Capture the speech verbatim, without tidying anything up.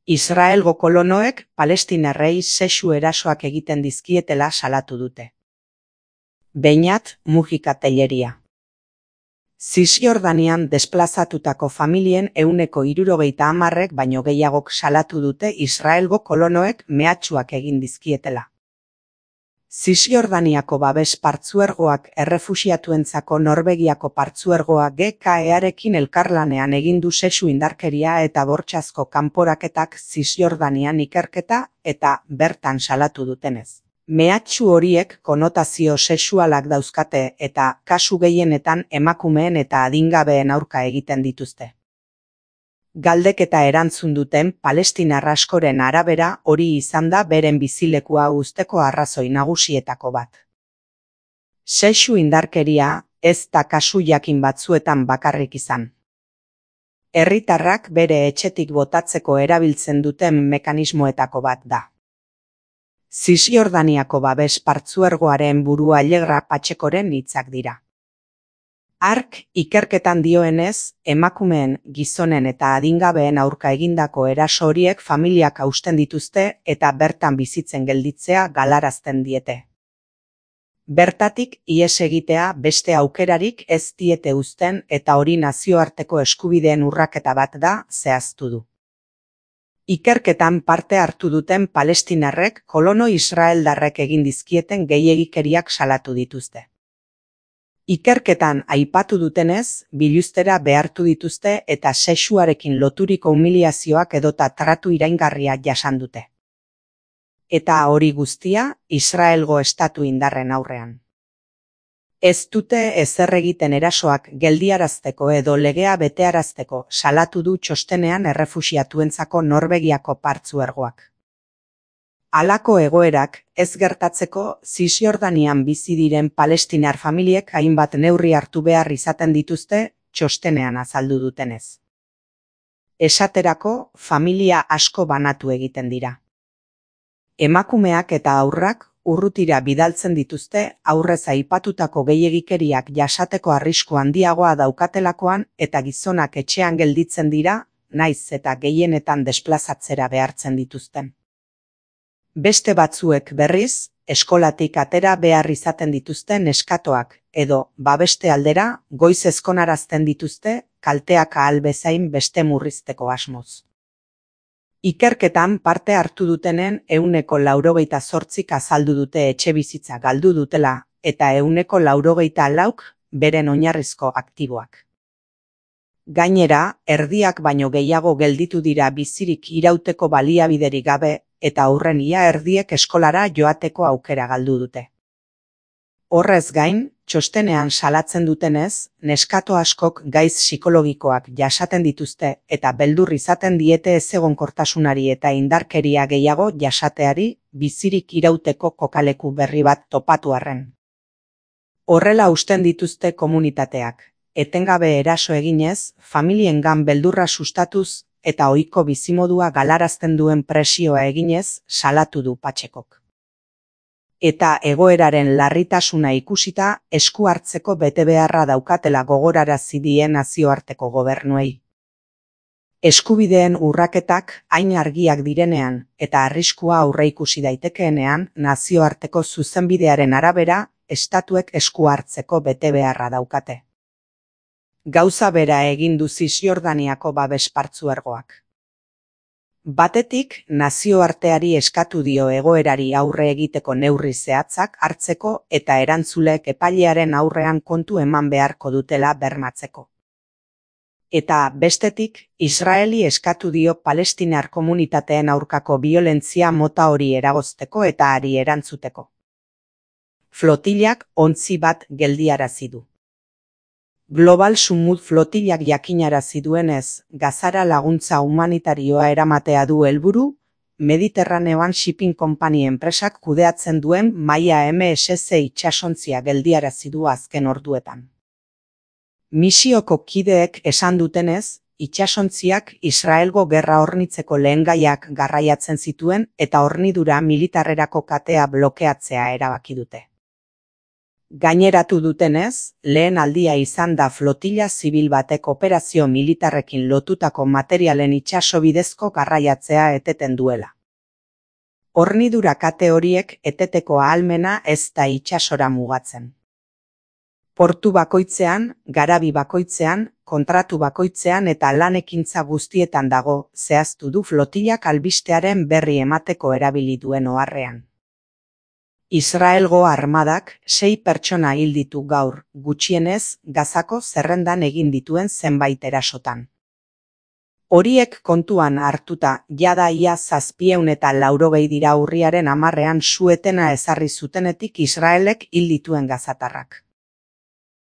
Israelgo kolonoek palestinarrei sexu erasoak egiten dizkietela salatu dute. Beñat Mujika Telleria. Zisjordanian desplazatutako familien ehuneko hirurogeita hamarrek baino gehiagok salatu dute Israelgo kolonoek mehatxuak egin dizkietela. Zisjordaniako babes partzuergoak errefuxiatuentzako Norvegiako partzuergoa G K E-arekin elkarlanean egin du sexu indarkeria eta bortxazko kanporaketak Zisjordanian ikerketa eta bertan salatu dutenez. Mehatxu horiek konotazio sexualak dauzkate eta kasu gehienetan emakumeen eta adingabeen aurka egiten dituzte. Galdeketa erantzun duten palestinar askoren arabera hori izan da beren bizilekua uzteko arrazoi nagusietako bat. Sexu indarkeria ez da kasu jakin batzuetan bakarrik izan. Herritarrak bere etxetik botatzeko erabiltzen duten mekanismoetako bat da. Zisjordaniako babes partzuergoaren burua Allegra Patxekoren hitzak dira. Hark ikerketan dioenez, emakumeen, gizonen eta adingabeen aurka egindako eraso horiek familiak hausten dituzte eta bertan bizitzen gelditzea galarazten diete. Bertatik ihes egitea beste aukerarik ez diete uzten eta hori nazioarteko eskubideen urraketa bat da zehaztu du. Ikerketan parte hartu duten palestinarrek kolono israeldarrek egin dizkieten gehiegikeriak salatu dituzte. Ikerketan aipatu dutenez, biluztera behartu dituzte eta sexuarekin loturiko humiliazioak edota tratu iraingarria jasan dute. Eta hori guztia Israelgo estatu indarren aurrean. Ez dute ezer egiten erasoak geldiarazteko edo legea betearazteko salatu du txostenean errefuxiatuentzako Norvegiako partzuergoak. Halako egoerak ez gertatzeko Zisjordanian bizi diren palestinar familiek hainbat neurri hartu behar izaten dituzte txostenean azaldu dutenez. Esaterako, familia asko banatu egiten dira. Emakumeak eta haurrak urrutira bidaltzen dituzte aurrez aipatutako gehiegikeriak jasateko arrisku handiagoa daukatelakoan eta gizonak etxean gelditzen dira, naiz eta gehienetan desplazatzera behartzen dituzten. Beste batzuek berriz, eskolatik atera behar izaten dituzte neskatoak edo babeste aldera goiz ezkonarazten dituzte kalteak ahal bezain beste murrizteko asmoz. Ikerketan parte hartu dutenen ehuneko laurogeita zortzik azaldu dute etxebizitza galdu dutela eta ehuneko laurogeita lauk beren oinarrizko aktiboak. Gainera, erdiak baino gehiago gelditu dira bizirik irauteko baliabiderik gabe eta aurren ia erdiek eskolara joateko aukera galdu dute. Horrez gain, txostenean salatzen dutenez, neskato askok gaiz psikologikoak jasaten dituzte eta beldur izaten diete ezegonkortasunari eta indarkeria gehiago jasateari bizirik irauteko kokaleku berri bat topatu arren. Horrela usten dituzte komunitateak, etengabe eraso eginez, familiengan beldurra sustatuz eta ohiko bizimodua galarazten duen presioa eginez salatu du Patxekok. Eta egoeraren larritasuna ikusita esku hartzeko betebeharra daukatela gogorarazi die nazioarteko gobernuei. Eskubideen urraketak hain argiak direnean eta arriskua aurreikusi daitekeenean nazioarteko zuzenbidearen arabera estatuek esku hartzeko betebeharra daukate. Gauza bera egin du Zisjordaniako babes partzuergoak. Batetik, nazioarteari eskatu dio egoerari aurre egiteko neurri zehatzak hartzeko eta erantzulek epailearen aurrean kontu eman beharko dutela bermatzeko. Eta bestetik, Israeli eskatu dio palestinar komunitateen aurkako biolentzia mota hori eragozteko eta hari erantzuteko. Flotilak ontzi bat geldiarazi du. Global Sumud flotilak jakinarazi duenez, Gazara laguntza humanitarioa eramatea du helburu, Mediterraneoan Shipping Company enpresak kudeatzen duen Maia M S C itsasontzia geldiarazi du azken orduetan. Misioko kideek esan dutenez, itsasontziak Israelgo gerra hornitzeko lehengaiak garraiatzen zituen eta hornidura militarrerako katea blokeatzea erabaki dute. Gaineratu dutenez, lehen aldia izan da flotila zibil batek operazio militarrekin lotutako materialen itsasobidezko garraiatzea eteten duela. Hornidura kate horiek eteteko ahalmena ez da itsasora mugatzen. Portu bakoitzean, garabi bakoitzean, kontratu bakoitzean eta lan-ekintza guztietan dago, zehaztu du flotilak albistearen berri emateko erabili duen oharrean. Israelgo armadak sei pertsona hil ditu gaur, gutxienez, Gazako zerrendan egin dituen zenbait erasotan. Horiek kontuan hartuta, jada ia zazpieun eta laurogei dira urriaren hamarrean su-etena ezarri zutenetik Israelek hil dituen gazatarrak.